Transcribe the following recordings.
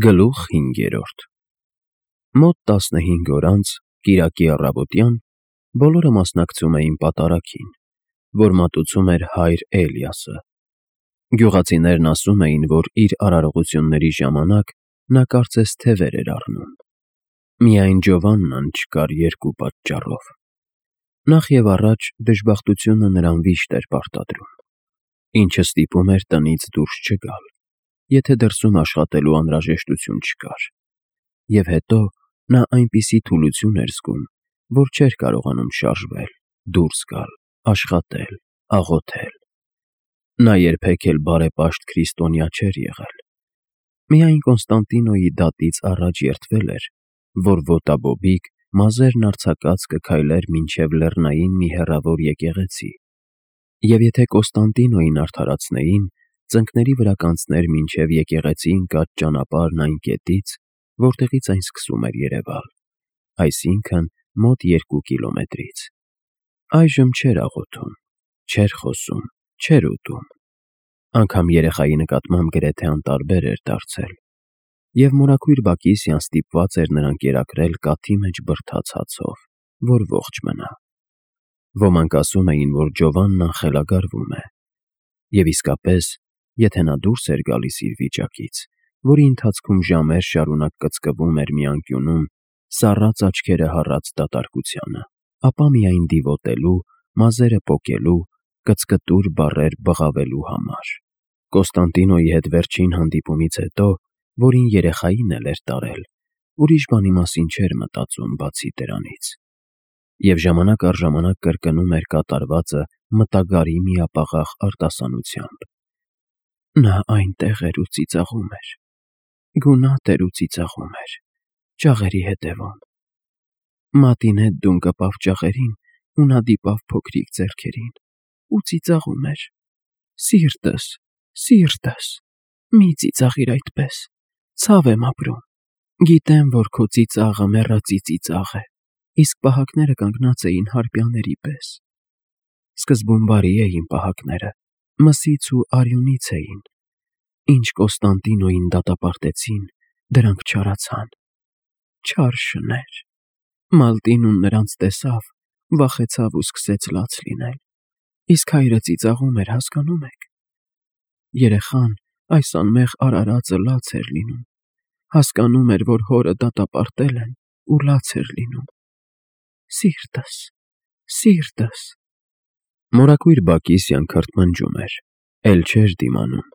Գլուխ 5. Մոտ 15 օր անց, կիրակի առավոտյան, բոլորը մասնակցում էին պատարագին, որ մատուցում էր հայր Էլիասը։ Գյուղացիներն ասում էին, որ իր արարողությունների ժամանակ նա կարծես թևեր էր առնում։ Միայն Ջովաննան չկար երկու պատճառով. նախ և առաջ դժբախտությունը նրան վիշտ էր պարտադրում, ինչը ստիպում էր տնից դուրս չգալ, եթե դրսում աշխատելու անհրաժեշտություն չկար, և հետո նա այնպիսի թուլություն էր զգում, որ չէր կարողանում շարժվել, դուրս գալ, աշխատել, աղոթել։ Նա երբեք էլ բարեպաշտ քրիստոնյա չէր եղել։ Միայն Կոնստանտինոյի դատից առաջ երդվել էր, որ ոտաբոբիկ, մազերն արձակած կքայլեր մինչև լեռնային մի հեռավոր եկեղեցի, և եթե Կոնստանտինոյին արդարացնեին, ծնկների վրա կանցներ մինչև եկեղեցի ընկած ճանապարհն այն կետից, որտեղից այն սկսում էր երևալ, այսինքն մոտ 2 կիլոմետրից։ Այժմ չէր աղոթում, չէր խոսում, չէր ուտում, անգամ երեխայի նկատմամբ գրեթե անտարբեր էր դարձել, և մորաքույր Բակիսյան ստիպված էր նրան կերակրել կաթի մեջ բրդած հացով, որ ողջ մնա։ Ոմանք ասում էին, որ Ջովաննան խելագարվում է, և իսկապես, եթե նա դուրս էր գալիս իր վիճակից, որի ընթացքում ժամեր շարունակ կծկվում էր մի անկյունում, սառած աչքերը հառած դատարկությանը, ապա միայն դիվոտելու, մազերը պոկելու, կծկտուր բառեր բղավելու համար։ Կոնստանտինոյի հետ վերջին հանդիպումից հետո, որին երեխային էլ էր տարել, ուրիշ բանի մասին չէր մտածում բացի դրանից, և ժամանակ առ ժամանակ կրկնում էր կատարվածը մտագարի միապաղաղ արտասանությամբ. նա այնտեղ էր ու ծիծաղում էր, գունատ էր ու ծիծաղում էր, ճաղերի հետևում։ Մատին հետ դուն կպավ ճաղերին, ու նա դիպավ փոքրիկ ձեռքերին ու ծիծաղում էր. սիրտս, սիրտս, մի ծիծաղիր այդպես, ցավ եմ ապրում, գիտեմ, որ քո ծիծաղը մեռածի ծիծաղ է, իսկ պահակները կանգնած էին հարբյաների պես։ Սկզբում բարի էին պահակները, մսից ու արյունից էին, ինչ Կոնստանտինոյին դատապարտեցին, դրանք չարացան։ Չար շներ։ Մալտինուն նրանց տեսավ, վախեցավ ու սկսեց լաց լինել, իսկ հայրը ծիծաղում էր, հասկանո՞ւմ եք։ Երեխան այս անմեղ արարածը լաց էր լինում, հասկանում էր, որ հորը դատապարտել են ու լաց էր լինում։ Սիրտս, սիրտս։ Մորաքույր Բակիսյան քրթմնջում էր, էլ չէր դիմանում,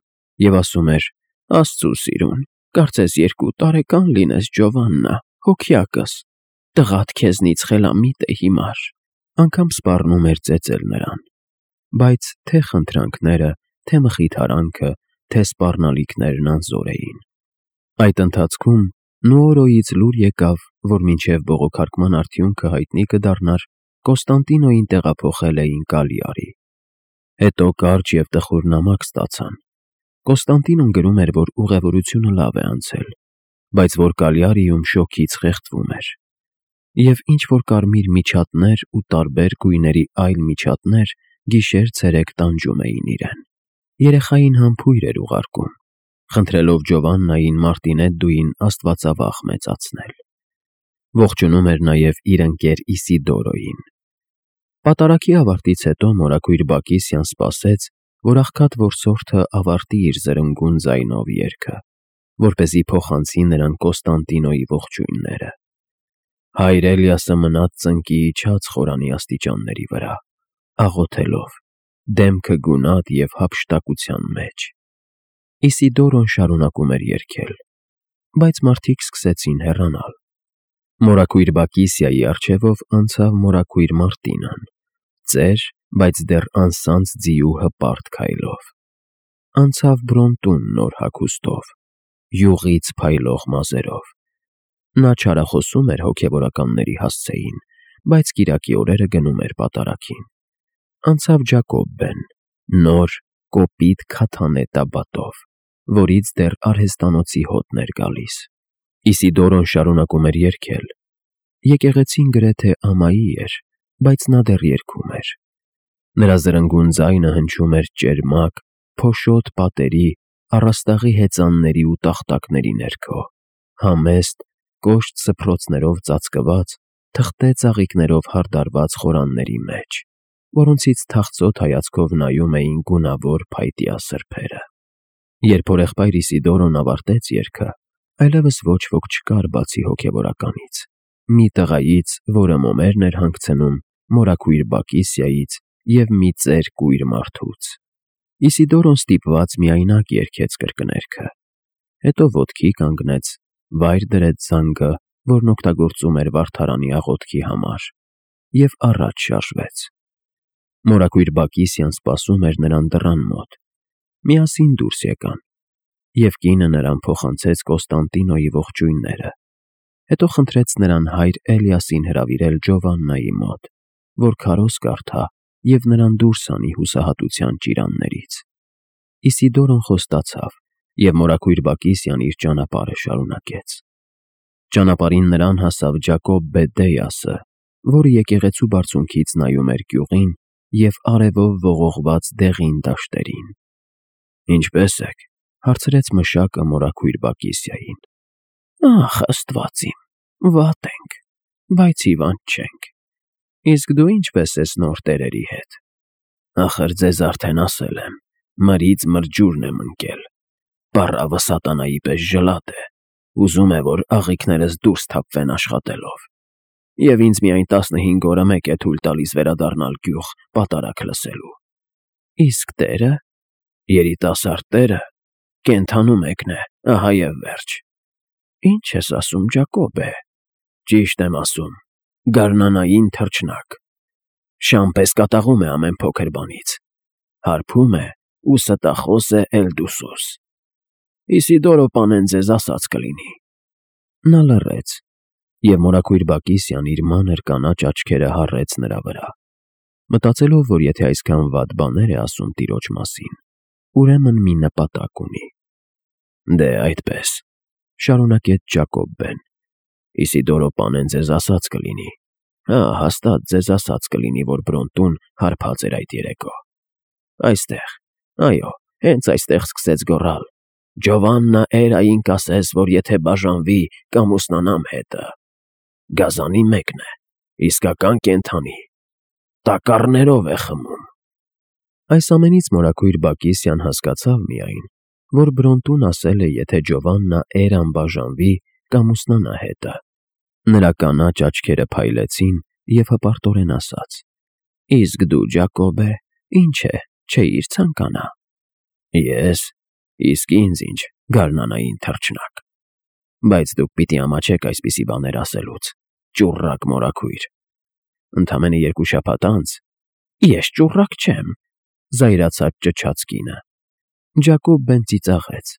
և ասում էր. Աստծու սիրուն, կարծես 2 տարեկան լինես, Ջովաննա, հոգյակս, տղադ քեզնից խելամիտ է հիմար։ Անգամ սպառնում էր ծեծել նրան, բայց թե խնդրանքները, թե մխիթարանքը, թե սպառնալիքներն անզոր էին։ Այդ ընթացքում Նուորոյից լուր եկավ, որ մինչև բողոքարկման արդյունքը հայտնի կդառնար, Կոնստանտինոյին տեղափոխել էին Կալիարի։ Հետո կարճ և տխուր նամակ ստացան։ Կոնստանտինոն գրում էր, որ ուղևորությունը լավ է անցել, բայց որ Կալիարիում շոգից խեղդվում էր, և ինչ-որ կարմիր միջատներ ու տարբեր գույների այլ միջատներ գիշեր-ցերեկ տանջում էին իրեն։ Երեխային համբույր էր ուղարկում, խնդրելով Ջովաննային Մարտինեդդուին աստվածավախ մեծացնել։ Ողջունում էր նաև իր ընկեր Իսիդորոյին։ Պատարագի ավարտից հետո մորաքույր Բակիսյան սպասեց, որ աղքատ որսորդը ավարտի իր զրնգուն ձայնով երգը, որպեսզի փոխանցի նրան Կոնստանտինոյի ողջույնները։ Հայր Էլիասը մնաց ծնկի իջած խորանի աստիճանների վրա, աղոթելով, դեմքը գունատ և հափշտակության մեջ։ Իսիդորոն շարունակում էր երգել, բայց մարդիկ սկսեցին հեռանալ։ Մորաքույր Բակիսիայի առջևով անցավ մորաքույր Մարտինան, ծեր, բայց դեռ անսանձ ձիու հպարտ քայլով։ Անցավ Բրոնտուն նոր հագուստով, յուղից փայլող մազերով։ Նա չարախոսում էր հոգևորականների հասցեին, բայց կիրակի օրերը գնում էր պատարագին։ Անցավ Ջակոբբեն, նոր, կոպիտ քաթանե տաբատով, որից դեռ արհեստանոցի հոտն էր գալիս։ Իսիդորոն շարունակում էր երգել։ Եկեղեցին գրեթե ամայի էր, բայց նա դեռ երգում էր։ Նրա զրնգուն ձայնը հնչում էր ճերմակ, փոշոտ պատերի առաստաղի հեծանների ու տախտակների ներքո, համեստ, կոշտ սփռոցներով ծածկված, թղթե ծաղիկներով հարդարված խորանների մեջ, որոնցից թախծոտ հայացքով նայում էին գունավոր փայտյա սրբերը։ Երբ հորեղբայր Իսիդորոն ավարտեց երգը, այլևս ոչ ոք չկար բացի հոգևորականից, մի տղայից, որը մոմերն էր հանգցնում, մորաքույր Բակիսիայից և մի ծեր կույր մարդուց։ Իսիդորոն ստիպված միայնակ երգեց կրկներգը, հետո ոտքի կանգնեց, վայր դրեց զանգը, որն օգտագործում էր վարդարանի աղոթքի համար, և առաջ շարժվեց։ Մորաքույր Բակիսիան սպասում էր նրան դռան մոտ։ Միասին դուրս եկան, և կինը նրան փոխանցեց Կոստանդինոյի ողջույնները, հետո խնդրեց նրան հայր Էլիասին հրավիրել Ջովաննայի մոտ, որ քարոզ կարդա և նրան դուրս հանի հուսահատության ճիրաններից։ Իսիդորոն խոստացավ, և մորաքույր Բակիսիան իր ճանապարհը շարունակեց։ Ճանապարհին նրան հասավ Ջակոբ Բեդդեյասը, որը եկեղեցու բարձունքից նայում էր գյուղին և արևով ողողված դեղին դաշտերին։ «Ինչպե՞ս եք», հարցրեց մշակը մորաքույր Բակիսիային։ «Ախ, Աստված իմ, վատ ենք, բայց հիվանդ չենք։ Իսկ դու ինչպե՞ս ես նոր տերերի հետ»։ «Ախր ձեզ արդեն ասել եմ, մրից մրջուրն եմ ընկել, պառավը սատանայի պես ժլատ է, ուզում է, որ աղիքներս դուրս թափվեն աշխատելով, և ինձ միայն 15 օրը մեկ է թույլ տալիս վերադառնալ գյուղ պատարագ լսելու։ Իսկ տերը, երիտասարդ տերը, կենդանու մեկն է, ահա և վերջ»։ «Ինչ ես ասում, Ջակոբե»։ «Ճիշտ եմ ասում, գարնանային թռչնակ, շան պես կատաղում է ամեն փոքր բանից, հարբում է ու ստախոս է Էլդուսոս։ Իսիդորո պանեն ձեզ ասած կլինի»։ Նա լռեց, և մորաքույր Բակիսիան իր մանր կանաչ աչքերը հառեց նրա վրա, մտածելով, որ եթե այսքան վատ բաներ է ասում տիրոջ մասին, ուրեմն մի նպատակ ունի։ «Դե այդպես», շարունակեց Ջակոբբեն, «Իսիդորո պանեն ձեզ ասած կլինի, հա, հաստատ ձեզ ասած կլինի, որ Բրոնտուն հարբած էր այդ երեկո։ Այստեղ, այո, հենց այստեղ սկսեց գոռալ. «Ջովաննա Էրային կասես, որ եթե բաժանվի, կամուսնանամ հետը։ Գազանի մեկն է, իսկական կենդանի, տակառներով է խմում»։ Այս ամենից մորաքույր Բակիսիան հասկացավ միայն, որ Բրոնտուն ասել է, եթե Ջովաննա Էրան բաժանվի, կամուսնանա հետը։ Նրա կանաչ աչքերը փայլեցին և հպարտորեն ասաց. «Իսկ դու, Ջակոբե, ինչ է, չէիր ցանկանա»։ «Ես, իսկ ինձ ինչ, գարնանային թռչնակ։ Բայց դուք պիտի ամաչեք այսպիսի բաներ ասելուց, ճուռակ մորաքույր։ Ընդամենը 2 շաբաթ անց»։ «Ես ճուռակ չեմ», զայրացած ճչաց կինը։ Ջակոբբեն ծիծաղեց,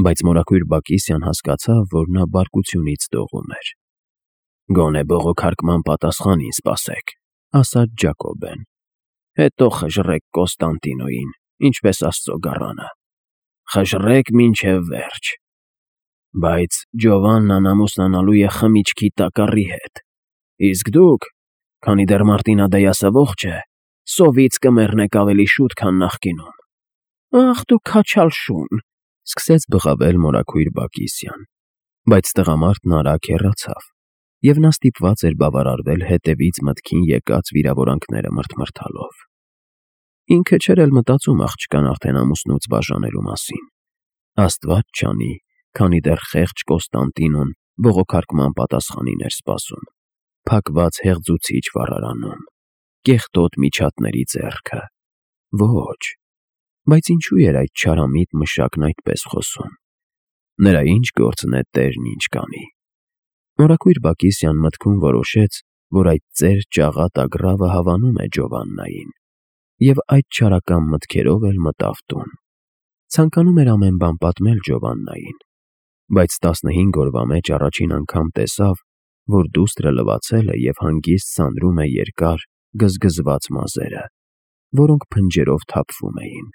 բայց մորաքույր Բակիսիան հասկացավ, որ նա բարկությունից դողում էր։ «Գոնե բողոքարկման պատասխանին սպասեք», ասաց Ջակոբբեն։ «Հետո խժռեք Կոստանդինոյին, ինչպես Աստծո գառանը։ Խժռեք մինչև վերջ։ Բայց Ջովաննան ամուսնանալու է խմիչքի տակառի հետ, իսկ դուք, քանի դեռ Մարտինադեյասը ողջ է, սովից կմեռնեք ավելի շուտ, քան նախկինում»։ «Ախ դու քաչալ շուն», սկսեց բղավել մորաքույր Բակիսիան, բայց տղամարդն արագ հեռացավ, և նա ստիպված էր բավարարվել հետևից մտքին եկած վիրավորանքները մրթմրթալով։ Ինքը չէր էլ մտածում աղջկան արդեն ամուսնուց բաժանելու մասին։ Աստված չանի, քանի դեռ խեղճ Կոստանդինոն բողոքարկման պատասխանին էր սպասում, փակված հեղձուցիչ վառարանում, կեղտոտ միջատների ձեռքը։ Ոչ, բայց ինչու էր այդ չարամիտ մշակն այդպես խոսում։ Նրա ինչ գործն է տերն ինչ կանի։ Մորաքույր Բակիսիան մտքում որոշեց, որ այդ ծեր ճաղատ ագռավը հավանում է Ջովաննային, և այդ չարական մտքերով էլ մտավ տուն։ Ցանկանում էր ամեն բան պատմել Ջովաննային, բայց 15 օրվա մեջ առաջին անգամ տեսավ, որ դուստրը լվացել է և հանգիստ սանրում է երկար, գզգզված մազերը, որոնք փնջերով թափվում էին,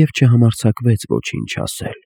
և չհամարձակվեց ոչինչ ասել։